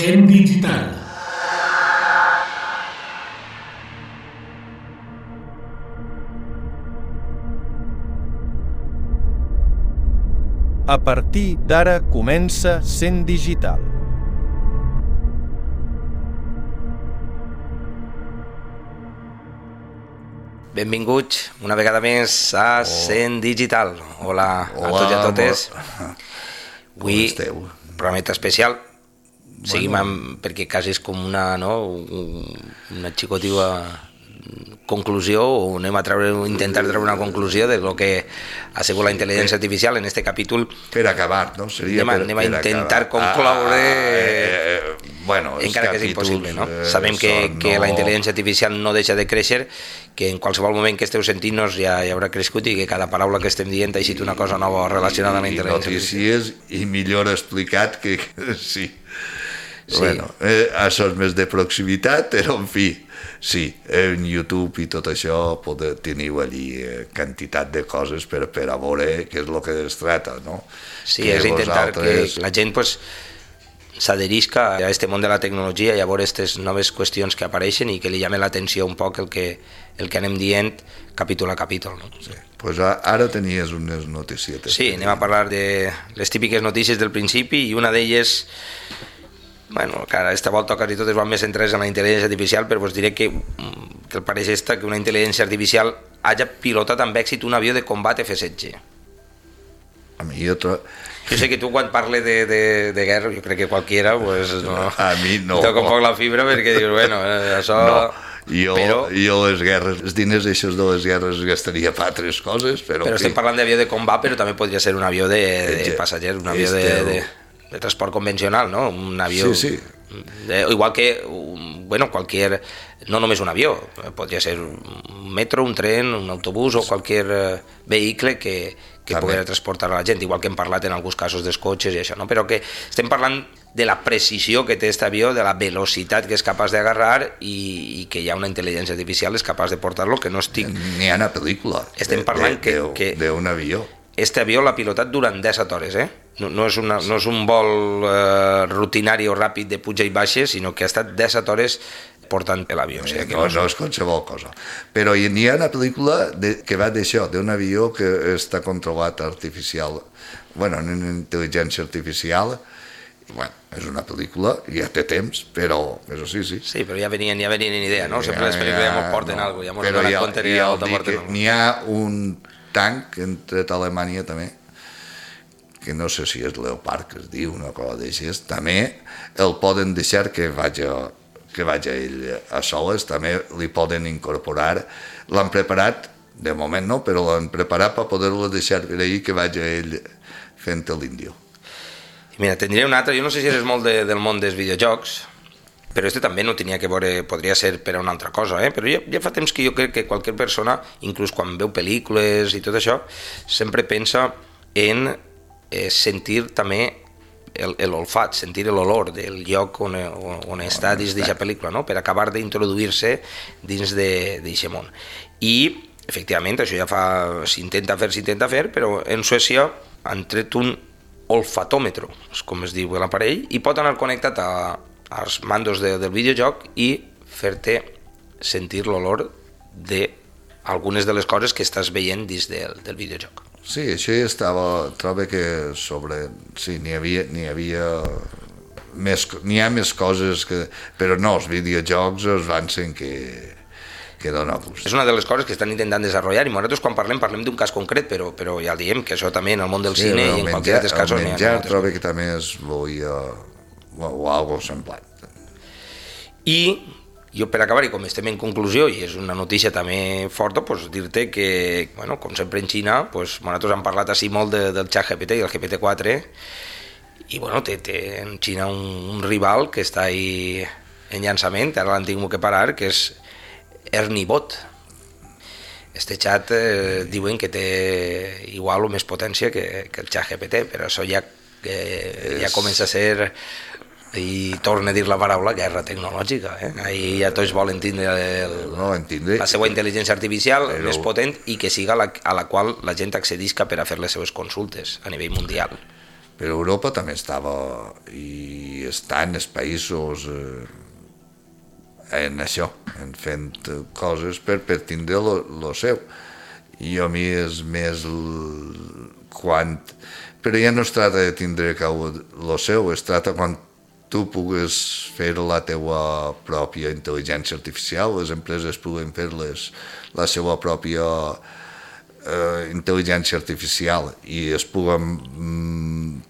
Sent Digital. A partir d'ara comença Sent Digital. Benvinguts una vegada més a Sent Digital. Hola a tots i a totes. Avui, programeta especial. Seguim perquè quasi és com una xicotiva conclusió, o anem a intentar treure una conclusió de lo que ha sigut la intel·ligència artificial en este capítol. Per acabar, no? Anem a intentar concloure, encara que és impossible, no? Sabem que la intel·ligència artificial no deixa de créixer, que en qualsevol moment que esteu sentint-nos ja haurà crescut i que cada paraula que estem dient ha sigut una cosa nova relacionada amb la intel·ligència artificial. I millor explicat que sí. Sí. Bueno, això és més de proximitat, però en fi, sí, en YouTube i tot això teniu allí quantitat de coses per a veure què és el que es tracta, no? Sí, és intentar que la gent s'adherisca a aquest món de la tecnologia i a veure aquestes noves qüestions que apareixen i que li llame l'atenció un poc el que anem dient capítol a capítol, no? Sí. Pues ara tenies unes noticietes. Sí, anem a parlar de les típiques notícies del principi i una d'elles... Bueno, que aquesta volta quasi totes van més centrades en la intel·ligència artificial, però us diré que el pareix que una intel·ligència artificial hagi pilotat amb èxit un avió de combat F-16. A mi jo sé que tu quan parles de guerra, jo crec que qualquiera, pues, no, a mi no. Toca un poc la fibra perquè dius, bueno, això... No. Jo les guerres, els diners d'aixòs de les guerres gastaria per altres coses, però estem parlant d'avió de combat, però també podria ser un avió de passatgers, un avió de transport convencional, no? Un avió... Sí. Igual que, no només un avió, podria ser un metro, un tren, un autobús o qualsevol vehicle que pugui transportar a la gent, igual que hem parlat en alguns casos dels cotxes i això, no? Però que estem parlant de la precisió que té aquest avió, de la velocitat que és capaç d'agarrar i que hi ha una intel·ligència artificial és capaç de portar-lo, que no estic... N'hi ha una pel·lícula d'un avió. Este avió l'ha pilotat durant 17 hores, No és un vol rutinari o ràpid de puja i baixa, sinó que ha estat 17 hores portant l'avió. O sigui que no és qualsevol cosa. Però n'hi ha una pel·lícula que va d'això, d'un avió que està controlat artificial, en intel·ligència artificial. És una pel·lícula, ja té temps, però sí. Sí, però ja venien idea, no? Sempre les pel·lícules ja ens porten alguna cosa, ja ens donen compte i ja porten alguna cosa. N'hi ha un tanc que han tret a Alemanya també, que no sé si és Leopard que es diu, una cosa d'aixes, també el poden deixar que vagi ell a soles, també li poden incorporar, l'han preparat, de moment no, però l'han preparat per poder-lo deixar per ahir que vagi ell fent l'índio. Mira, tindria un altre, jo no sé si eres molt del món dels videojocs, però este també no tenia que veure, podria ser per a una altra cosa, però ja fa temps que jo crec que qualsevol persona, inclús quan veu pel·lícules i tot això, sempre pensa en sentir també l'olfat, sentir l'olor del lloc on està dins d'aquesta pel·lícula, no? Per acabar d'introduir-se dins d'aquest món. I, efectivament, això ja s'intenta fer, però en Suècia han tret un olfatòmetre, com es diu l'aparell, i pot anar connectat als mandos del videojoc i fer-te sentir l'olor d'algunes de les coses que estàs veient dins del videojoc. Sí, això ja estava, trobo que sí, n'hi ha més coses, però no, els videojocs es van sent que dona gust. És una de les coses que estan intentant desenvolupar i nosaltres quan parlem d'un cas concret, però ja diem que això també en el món del cine i en qualsevol altres casos... El menjar trobo que també es volia o algo semblant. I Jo, per acabar, i com estem en conclusió, i és una notícia també forta, pues, dir-te que, bueno, com sempre en Xina, pues, nosaltres hem parlat així molt del ChatGPT i el GPT-4, i bueno, té en Xina un rival que està ahí en llançament, ara l'han tingut que parar, que és ErnieBot. Este xat diuen que té igual o més potència que el ChatGPT, però això ja comença a ser... i torna a dir la paraula guerra tecnològica. Ahir ja tots volen tindre la seva intel·ligència artificial més potent i que siga a la qual la gent accedisca per a fer les seves consultes a nivell mundial. Però Europa també estava i està en els països en això, en fent coses per tindre lo seu. I a mi és més quan... Però ja no es tracta de tindre lo seu, es tracta quan tu pugues fer la teua pròpia intel·ligència artificial, les empreses puguen fer la seva pròpia intel·ligència artificial i es puguen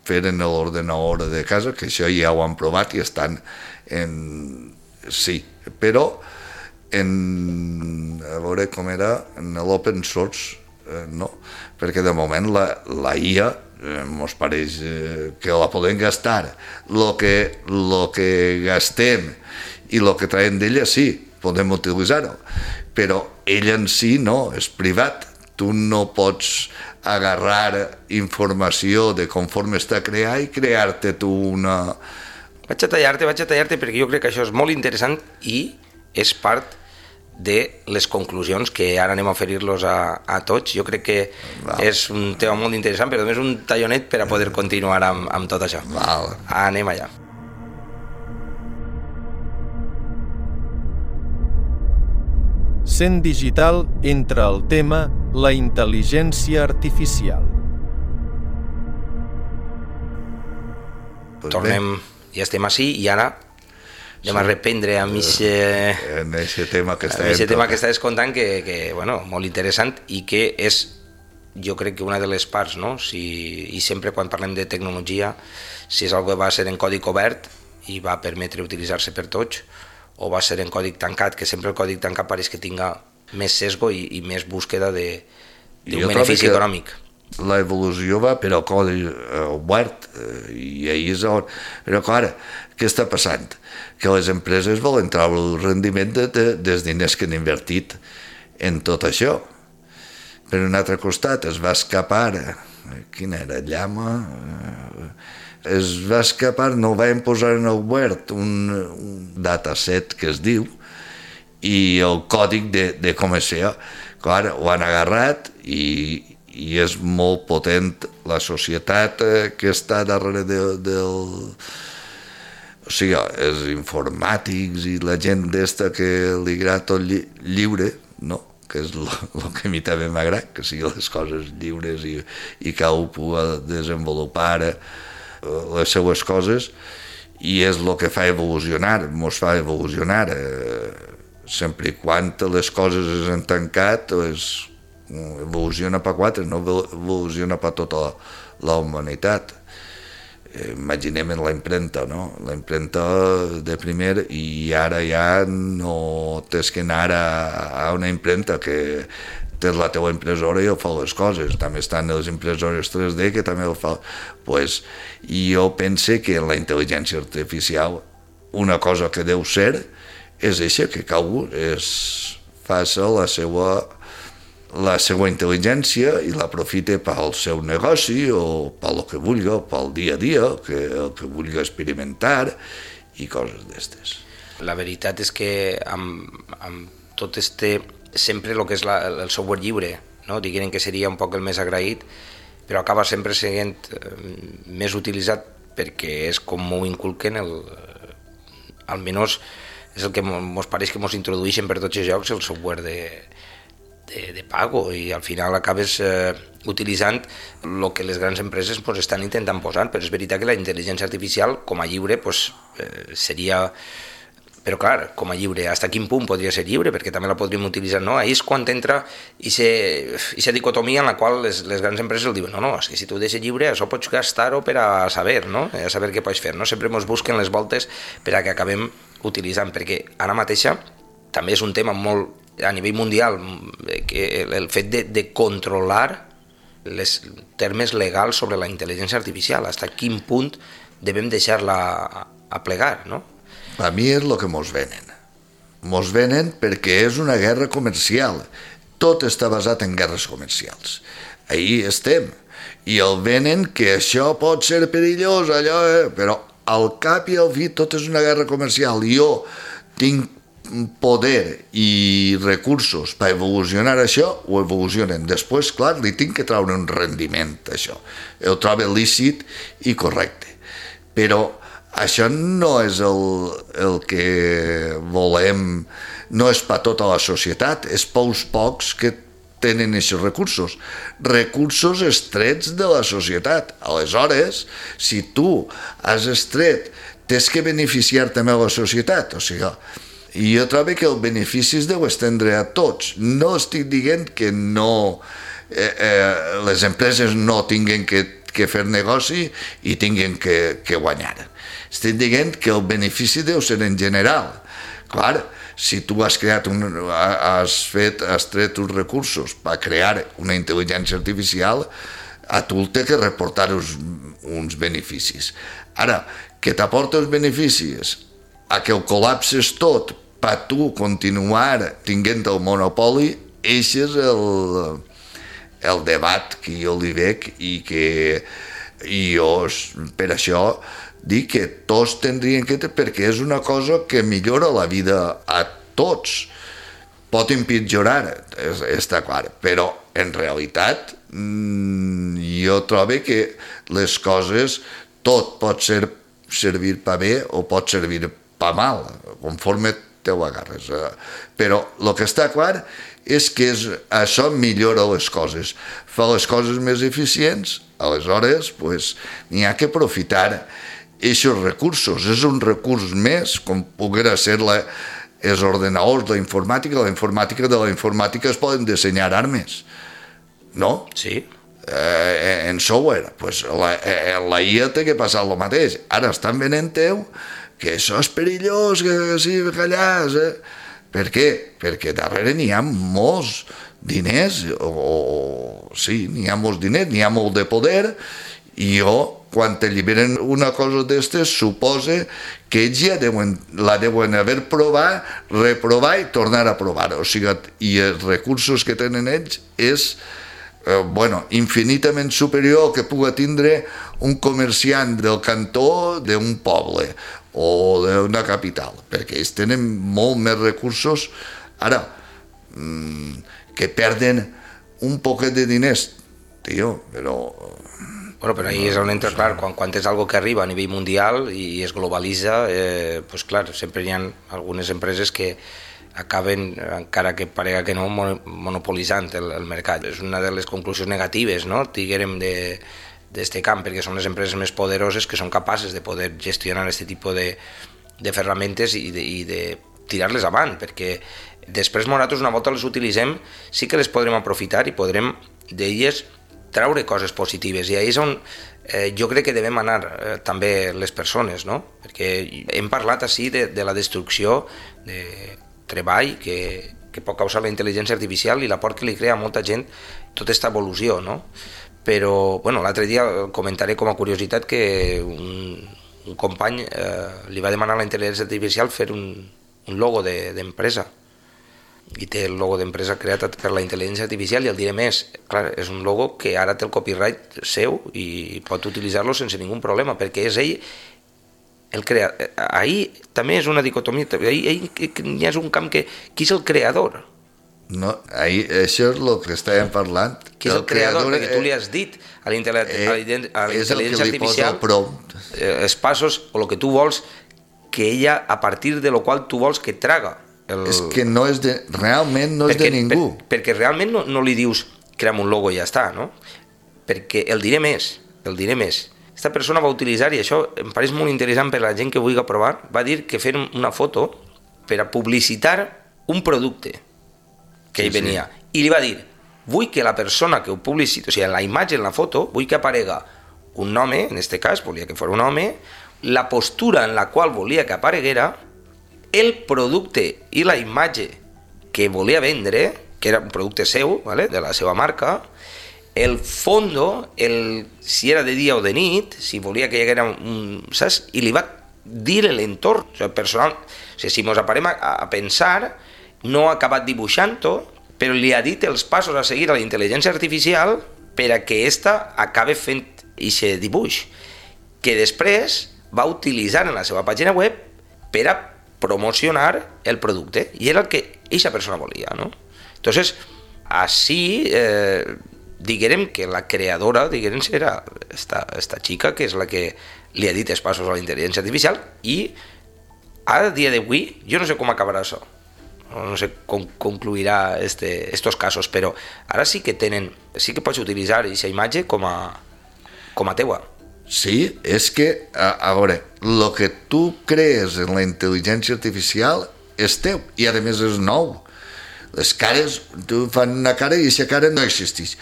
fer en l'ordenador de casa, que això ja ho han provat i estan en... Sí, però a veure com era, en l'open source, no, perquè de moment la IA ens pareix que la podem gastar lo que gastem i lo que traiem d'ella sí, podem utilitzar-ho, però ell en si no, és privat, tu no pots agarrar informació de conforme està creat i crear-te tu una... Vaig a tallar-te perquè jo crec que això és molt interessant i és part de les conclusions que ara anem a oferir-los a tots. Jo crec que és un tema molt interessant, però només un tallonet per a poder continuar amb tot això. Anem allà. Cent Digital entra al tema la intel·ligència artificial. Tornem, ja estem així i ara anem a reprendre amb aquest tema que estàs contant, que bueno, molt interessant i que és, jo crec que una de les parts, no? I sempre quan parlem de tecnologia, si és algo que va ser en codi obert i va permetre utilitzar-se per tots, o va ser en codi tancat, que sempre el codi tancat pareix que tinga més sesgo i més búsqueda d'un benefici econòmic. L'evolució va per al codi obert i ahir és on... Però clar, què està passant? Que les empreses volen treure el rendiment dels diners que han invertit en tot això. Per un altre costat es va escapar, quina era, Llama? Es va escapar, no van posar en el Word un dataset que es diu i el còdic de com és això. Clar, ho han agarrat i és molt potent la societat que està darrere del... O sigui, els informàtics i la gent d'esta que li agrada tot lliure, no? Que és el que a mi també m'agrada, que siguin les coses lliures i que algú pugui desenvolupar les seues coses, i és el que fa evolucionar, ens fa evolucionar. Sempre i quan les coses s'han tancat, evoluciona per quatre, no evoluciona per tota la humanitat. Imaginem en la impremta, no? La impremta de primer i ara ja no tens que anar a una impremta que tens la teva impressora i ho fa les coses. També estan les impressores 3D que també ho fa. Pues, jo pense que en la intel·ligència artificial una cosa que deu ser és això, que cadascú faci la seva intel·ligència i l'aprofite pel seu negoci o pel que vulgui, pel dia a dia, el que vulgui experimentar i coses d'estes. La veritat és que amb tot sempre el que és el software lliure, no? Diguem que seria un poc el més agraït, però acaba sempre sent més utilitzat perquè és com m'ho inculquen, almenys és el que ens pareix que ens introdueixen per tots els jocs, el software de pago, i al final acabes utilitzant el que les grans empreses estan intentant posar, però és veritat que la intel·ligència artificial com a lliure seria Però clar, com a lliure, fins a quin punt podria ser lliure? Perquè també la podríem utilitzar, no? Ahí és quan entra aquesta dicotomia en la qual les grans empreses el diuen no, és que si tu ho deixes lliure, això pots gastar-ho per a saber, no? A saber què pots fer, no? Sempre ens busquen les voltes per a que acabem utilitzant, perquè ara mateixa també és un tema molt a nivell mundial, que el fet de controlar els termes legals sobre la intel·ligència artificial, fins a quin punt devem deixar-la a plegar, no? A mi és el que mos venen. Mos venen perquè és una guerra comercial. Tot està basat en guerres comercials. Ahí estem. I el venen que això pot ser perillós, allò, però al cap i al fi tot és una guerra comercial. Jo tinc poder i recursos per evolucionar això, ho evolucionen. Després, clar, li tinc que treure un rendiment, això. El trobo lícit i correcte. Però això no és el que volem, no és per tota la societat, és pels pocs que tenen aquests recursos estrets de la societat. Aleshores, si tu has estret, tens que beneficiar també la societat, o sigui, jo trobo que el benefici es deu estendre a tots. No estic dient que no, les empreses no tinguin que fer negoci i tinguin que guanyar. Estic dient que el benefici deu ser en general. Clar, si tu has tret uns recursos per crear una intel·ligència artificial, a tu té que reportar uns beneficis. Ara, que t'aporta els beneficis a que el col·lapses tot per tu continuar tinguent el monopoli, això és el debat que jo li veig i que jo per això dic que tots tindrien que perquè és una cosa que millora la vida a tots. Pot empitjorar, està clar, però en realitat jo trobo que les coses tot pot servir per bé o pot servir per mal, conforme te ho agarres. Però el que està clar és que això millora les coses, fa les coses més eficients, aleshores n'hi ha que aprofitar aquests recursos. És un recurs més, com poguera ser els ordenadors, la informàtica de la informàtica es poden dissenyar armes, no? Sí. En software, la IA té que passar el mateix. Ara estan venent que això és perillós, que sí, callàs, Per què? Perquè darrere n'hi ha molts diners, n'hi ha molts diners, n'hi ha molt de poder, i quan t'alliberen una cosa d'estes, suposa que ells ja la deuen haver provat, reprovar i tornar a provar. O sigui, i els recursos que tenen ells és infinitament superior que pugui tindre un comerciant del cantó d'un poble o d'una capital, perquè ells tenen molt més recursos. Ara, que perden un poquet de diners, tio, però... Però ahí és on entra, clar, quan és algo que arriba a nivell mundial i es globalitza, clar, sempre hi ha algunes empreses que acaben, encara que parega que no, monopolitzant el mercat. És una de les conclusions negatives, no?, diguem, d'este camp, perquè són les empreses més poderoses que són capaces de poder gestionar aquest tipus de ferramentes i de tirar-les avant, perquè després nosaltres una volta les utilitzem sí que les podrem aprofitar i podrem d'elles treure coses positives, i ahí és on jo crec que devem anar també les persones, no? Perquè hem parlat així de la destrucció de treball que pot causar la intel·ligència artificial i l'aport que li crea a molta gent tota aquesta evolució, no? Però, l'altre dia comentaré com a curiositat que un company li va demanar a la intel·ligència artificial fer un logo d'empresa, i té el logo d'empresa creat per la intel·ligència artificial, i el diré més, clar, és un logo que ara té el copyright seu i pot utilitzar-lo sense ningú problema, perquè és ell el creador. Ahí també és una dicotomia, ahí ja és un camp que qui és el creador? No, això és el que estàvem parlant. Qui és el creador? Perquè tu li has dit a la intel·ligència artificial els passos o el que tu vols que ella, a partir de lo qual tu vols que traga. És que realment no és de ningú. Perquè realment no li dius crea'm un logo i ja està, no? Perquè el diré més. Aquesta persona va utilitzar, i això em pareix molt interessant per a la gent que vulgui provar, va dir que fer una foto per a publicitar un producte que ell venia. I li va dir, vull que la persona que ho publicita, o sigui, en la imatge, en la foto, vull que aparega un home, en aquest cas, volia que fos un home, la postura en la qual volia que apareguera, el producte i la imatge que volia vendre, que era un producte seu, ¿vale? De la seva marca, el fondo, si era de dia o de nit, si volia que hi haguera saps? I li va dir l'entorn, o sigui, personal. O sigui, si ens aparem a pensar, no ha acabat dibuixant-ho, però li ha dit els passos a seguir a la intel·ligència artificial per a que ésta acabe fent aquest dibuix, que després va utilitzar en la seva pàgina web per a promocionar el producte, i era el que aquesta persona volia, ¿no? Entonces, així, diguem que la creadora, diguem, era esta xica, que és la que li ha dit els passos a la intel·ligència artificial, i a dia d'avui, jo no sé com acabarà això, no sé com concluirà estos casos, però ara sí que pots utilitzar aquesta imatge com a teua. Sí, és que, a veure, el que tu crees en la intel·ligència artificial és teu, i a més és nou. Les cares, tu fan una cara i aquesta cara no existeix.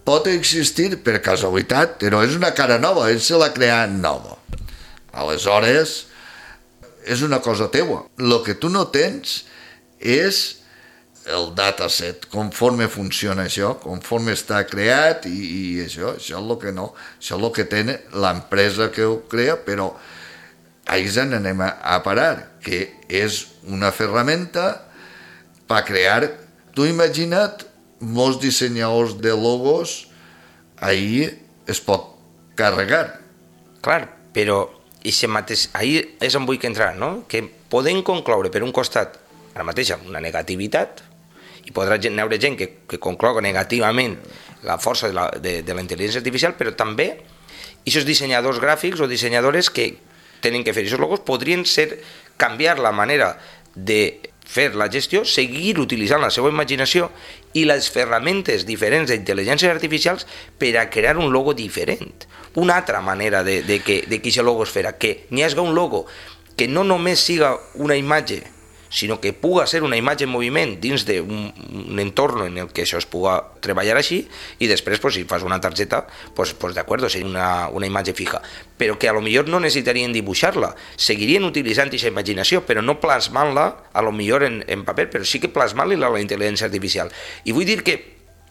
Pot existir per casualitat, però és una cara nova, ell se l'ha creat nova. Aleshores, és una cosa teua. El que tu no tens és el dataset, conforme funciona això, conforme està creat i això és el que no, això és el que té l'empresa que ho crea, però ahí anem a parar, que és una ferramenta per crear. Tu imagina't, molts dissenyadors de logos ahí es pot carregar. Clar, però ahí és on vull entrar, no? Que podem concloure per un costat ara mateix amb una negativitat, i podrà veure gent que concloga negativament la força de la intel·ligència artificial, però també aquests dissenyadors gràfics o dissenyadores que tenen que fer aquests logos podrien canviar la manera de fer la gestió, seguir utilitzant la seva imaginació i les ferramentes diferents d'intel·ligències artificials per a crear un logo diferent. Una altra manera de que aquest logo es farà, que n'hi hagi un logo que no només siga una imatge, sinó que puga ser una imatge en moviment dins d'un entorn en el que això es puga treballar així, i després, si fas una targeta, d'acord, seria una imatge fija, però que a lo millor no necessitarien dibuixar-la, seguirien utilitzant aquesta imaginació, però no plasmant-la a lo millor en paper, però sí que plasmant-la a la intel·ligència artificial. I vull dir que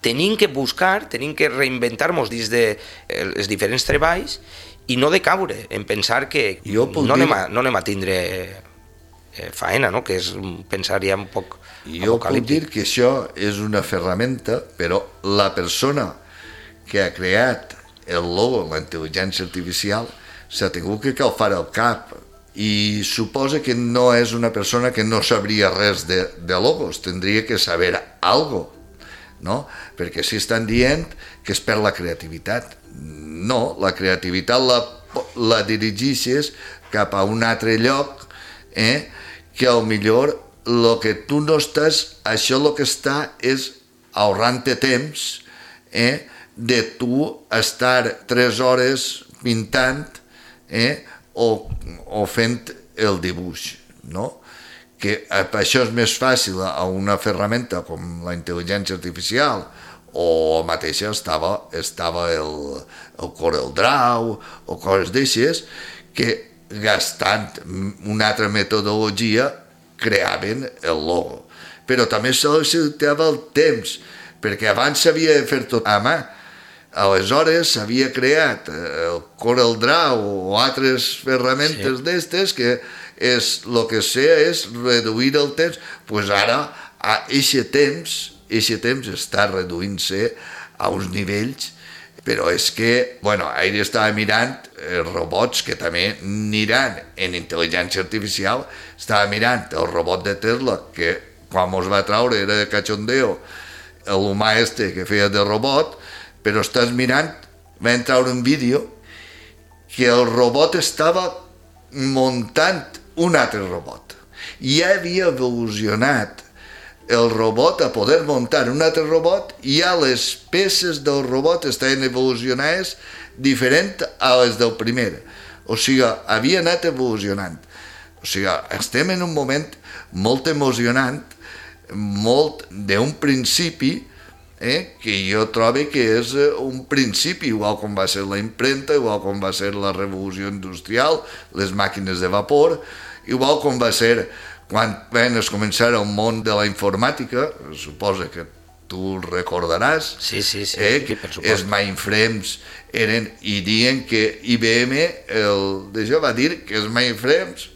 tenim que buscar, tenim que reinventar-nos dins dels diferents treballs i no decaure en pensar que no anem a tindre faena, no? Que és pensar ja un poc apocalíptic. Jo puc dir que això és una ferramenta, però la persona que ha creat el logo, la intel·ligència artificial, s'ha tingut que calfar el cap, i suposa que no és una persona que no sabria res de logos, tindria que saber algo, no? Perquè si estan dient que es perd la creativitat. No, la creativitat la dirigeixes cap a un altre lloc, que millor el que tu no estàs, això el que està és ahorrant-te temps de tu estar 3 hores pintant o fent el dibuix, no? Que això és més fàcil a una ferramenta com la intel·ligència artificial, o mateixa estava el CorelDRAW o coses d'aixes, que gastant una altra metodologia creaven el logo. Però també necessitava el temps, perquè abans s'havia de fer tot a mà. Aleshores s'havia creat el CorelDRAW o altres ferramentes d'estes que el que sé és reduir el temps. Doncs ara aquest temps està reduint-se a uns nivells, però és que, ahir estava mirant robots que també aniran en intel·ligència artificial, estava mirant el robot de Tesla, que quan mos va traure era de cachondeo, l'humà que feia de robot, però estàs mirant, van traure un vídeo que el robot estava muntant un altre robot. Ja havia evolucionat el robot a poder muntar un altre robot, i ja les peces del robot estaven evolucionades diferent a les del primer. O sigui, havia anat evolucionant. O sigui, estem en un moment molt emocionant, molt d'un principi que jo trobo que és un principi, igual com va ser la impremta, igual com va ser la revolució industrial, les màquines de vapor, igual com va ser quan es començar el món de la informàtica, suposa que tu recordaràs, Sí, que per supost. els mainframes eren, i diuen que IBM d'això va dir que els mainframes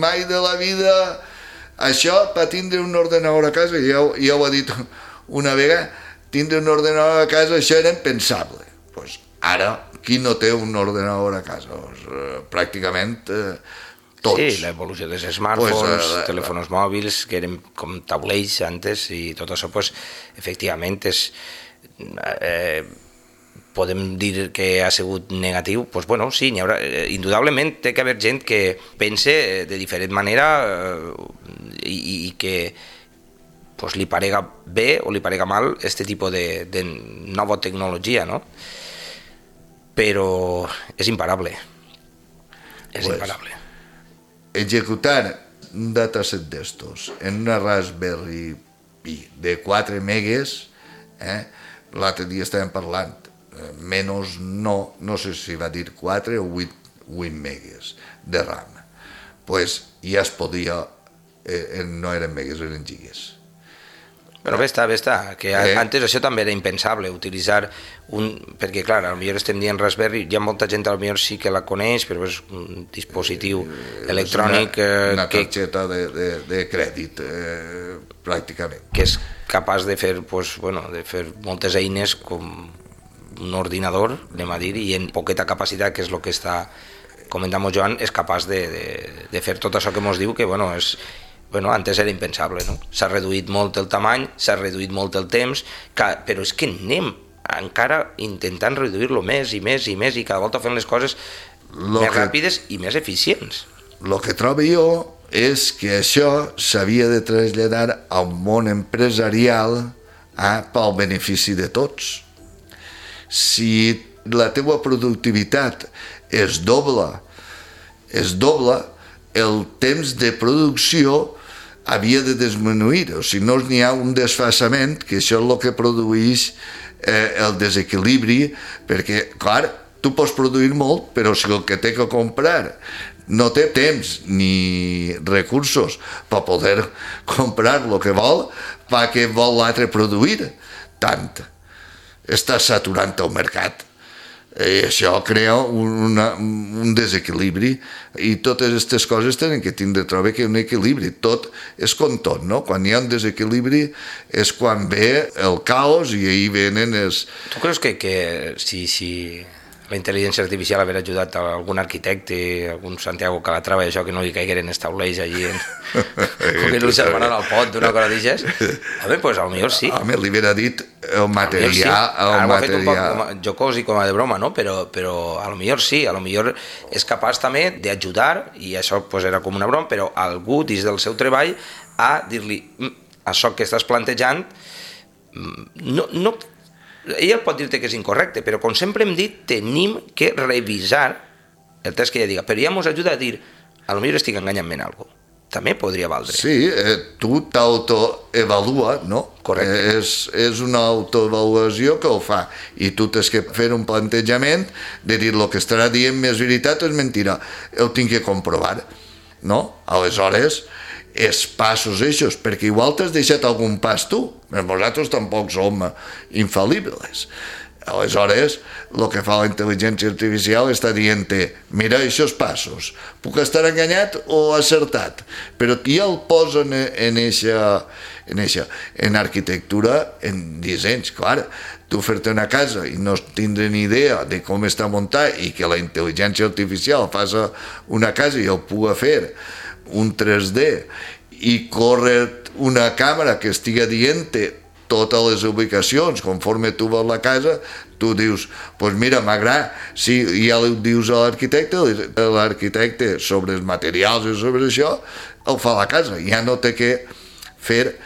mai de la vida això per tindre un ordenador a casa, ja ho ha dit una vegada, tindre un ordenador a casa això era impensable. Pues ara, qui no té un ordenador a casa? Pràcticament tots. Sí, l'evolució dels smartphones, telèfons mòbils, que eren com taulells antes, i tot això, pues, efectivament, podem dir que ha sigut negatiu. Pues, bueno, sí, n'hi haurà, indudablement té que haver gent que pense de diferent manera i que pues, li parega bé o li parega mal este tipus de nova tecnologia, no? Però és imparable. És imparable. Executar un dataset d'estos en una Raspberry Pi de 4 megues, l'altre dia estàvem parlant, menys no sé si va dir 4 o 8 megues de RAM. Pues ja es podia, no eren megues, eren gigas. Però bé està, que antes això també era impensable, utilitzar perquè clar, potser estem dient Raspberry, hi ha molta gent potser sí que la coneix, però és un dispositiu electrònic una targeta de crèdit, pràcticament. Que és capaç de fer, de fer moltes eines com un ordinador, anem a dir, i en poqueta capacitat, que és el que està comentant Joan, és capaç de fer tot això que ens diu, que antes era impensable, no? S'ha reduït molt el tamany, s'ha reduït molt el temps, però és que anem encara intentant reduir-lo més i més i més, i cada volta fent les coses més ràpides i més eficients. El que trobo jo és que això s'havia de traslladar al món empresarial pel benefici de tots. Si la teva productivitat es dobla, el temps de producció havia de disminuir, o si no n'hi ha un desfasament, que això és el que produeix el desequilibri, perquè, clar, tu pots produir molt, però si el que té que comprar no té temps ni recursos per poder comprar el que vol, què vol l'altre produir? Tant. Està saturant el mercat. I això crea un desequilibri, i totes aquestes coses tenen que tindre, trobo que un equilibri. Tot és com tot, no? Quan hi ha un desequilibri és quan ve el caos, i ahir venen els... Tu creus que si la intel·ligència artificial haver ajudat a algun arquitecte, algun Santiago Calatrava, això que no li caigueren els taulells allí, com que no li salvaran al pot d'una cosa d'aixes, home, doncs potser sí. Home, li hauria dit el material... Ara ho ha fet un poc jocós i com a de broma, no? Però potser sí, potser és capaç també d'ajudar, i això era com una broma, però algú dins del seu treball a dir-li això que estàs plantejant no ell pot dir-te que és incorrecte, però com sempre hem dit, tenim que revisar el test que ella diga, però ja ens ajuda a dir, potser estic enganyant-me en alguna cosa. També podria valdre. Sí, tu t'autoevalua, no? Correcte. És una autoavaluació que ho fa, i tu tens que fer un plantejament de dir el que estarà dient més veritat o és mentira. Ho tinc que comprovar, no? Aleshores, els passos eixos, perquè igual t'has deixat algun pas tu, però nosaltres tampoc som infal·libles. Aleshores, el que fa la intel·ligència artificial està dient-te, mira aquests passos, puc estar enganyat o acertat, però ja el posen en arquitectura, en dissenys, clar. Tu fer-te una casa i no tindre ni idea de com està muntat, i que la intel·ligència artificial faci una casa i el pugui fer un 3D i córrer una càmera que estigui dient-te totes les ubicacions conforme tu veus la casa, tu dius, doncs mira, m'agrada, si ja li dius a l'arquitecte sobre els materials i sobre això, el fa la casa, ja no té que fer.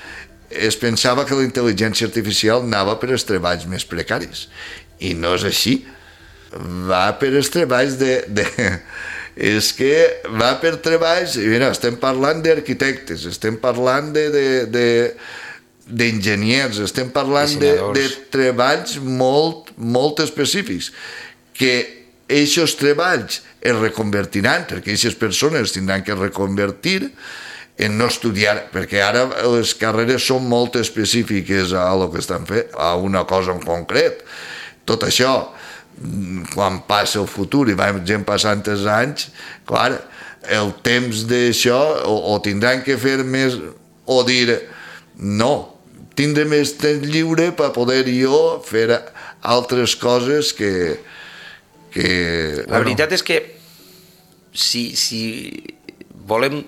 Es pensava que la intel·ligència artificial anava per als treballs més precaris, i no és així. Va per als treballs és que va per treballs, i mira, estem parlant d'arquitectes, estem parlant d'enginyers, estem parlant de treballs molt específics, que aquests treballs es reconvertiran, perquè aquestes persones tindran que reconvertir en no estudiar, perquè ara les carreres són molt específiques a lo que estan fent, a una cosa en concret. Tot això, quan passa el futur i vagin passant els anys, clar, el temps d'això o tindran que fer més o dir no, tindré més temps lliure per poder jo fer altres coses que la veritat és que si volem,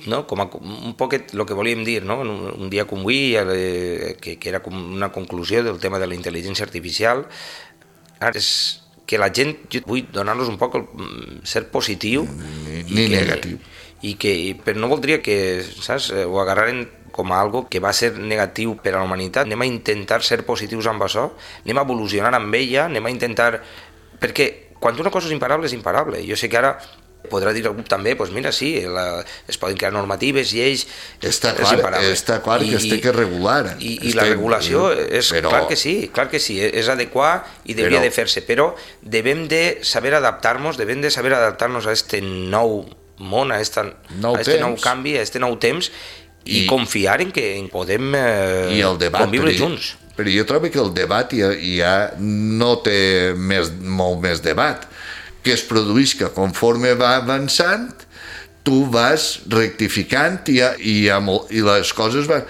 no? Com un poquet el que volíem dir, no? Un dia com avui, que era com una conclusió del tema de la intel·ligència artificial, és que la gent, jo vull donar-los un poc ser positiu ni negatiu, però no voldria que, saps, ho agarraren com a algo que va ser negatiu per a la humanitat. Anem a intentar ser positius amb això, anem a evolucionar amb ella, anem a intentar... Perquè quan una cosa és imparable. Jo sé que ara podrà dir algú també, doncs mira, sí, es poden crear normatives, lleis... Està clar que es té que regular. I la regulació, clar que sí, és adequar i hauria de fer-se, però devem de saber adaptar-nos, a aquest nou món, a aquest nou canvi, a aquest nou temps, i confiar en que podem conviure junts. Però jo trobo que el debat ja no té molt més debat, que es produeix que conforme va avançant tu vas rectificant i les coses van...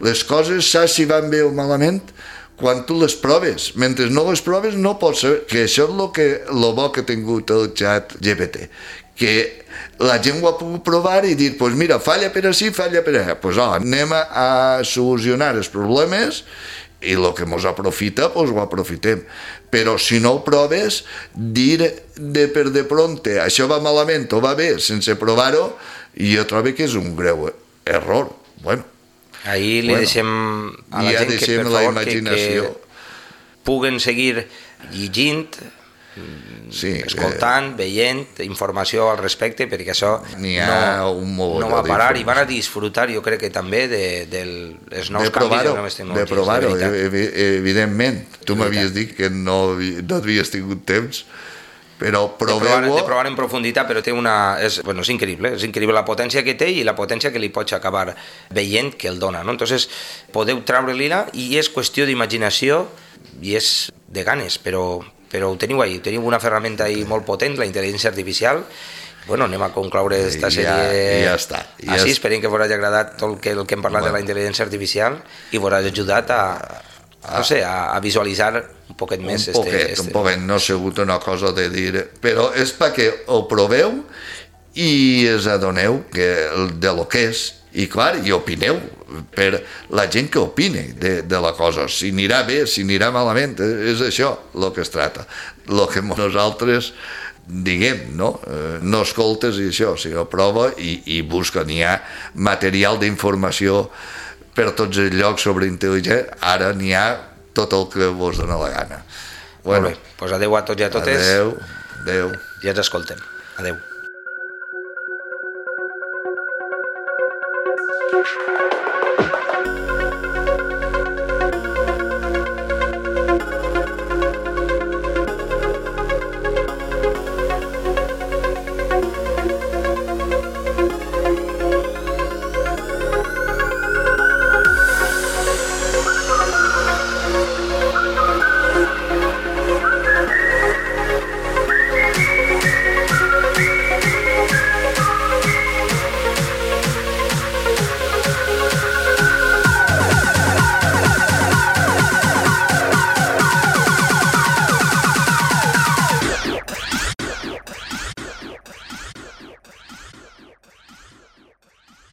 Les coses saps si van bé o malament quan tu les proves. Mentre no les proves no pots saber, que això és el bo que ha tingut el xat GPT, que la gent ho ha pogut provar i dir, doncs mira, falla per ací, falla per allà, doncs anem a solucionar els problemes i el que ens aprofita, doncs ho aprofitem. Però si no ho proves, dir de pronte això va malament o va bé sense provar-ho, jo trobo que és un greu error. Bueno, ahí li deixem a la gent que, per favor, que puguen seguir llegint, escoltant, veient informació al respecte, perquè això no va parar i van a disfrutar, jo crec que també dels nous canvis de noves tecnologies. De provar-ho, evidentment. Tu m'havies dit que no havies tingut temps, però proveu-ho. De provar en profunditat, però és increïble la potència que té i la potència que li pots acabar veient que el dona, no? Entonces podeu treure-li-la i és qüestió d'imaginació i és de ganes, però ho teniu ahí, teniu una ferramenta ahí molt potent, la intel·ligència artificial. Bueno, anem a concloure aquesta sèrie. Ja està. Així, esperem que us hagi agradat tot el que hem parlat de la intel·ligència artificial i us hagi ajudat a visualitzar un poquet més. Un poquet, no ha sigut una cosa de dir... Però és perquè ho proveu i us adoneu de lo que és. I clar, i opineu per la gent que opine de la cosa, si anirà bé, si anirà malament, és això el que es trata. El que nosaltres diguem, no escoltes i això, sinó prova i busca. N'hi ha material d'informació per tots els llocs sobre intel·ligència, ara n'hi ha tot el que vos dona la gana. Molt bé, doncs adeu a tots i a totes. Adeu. I ens escoltem. Adeu. Thank you.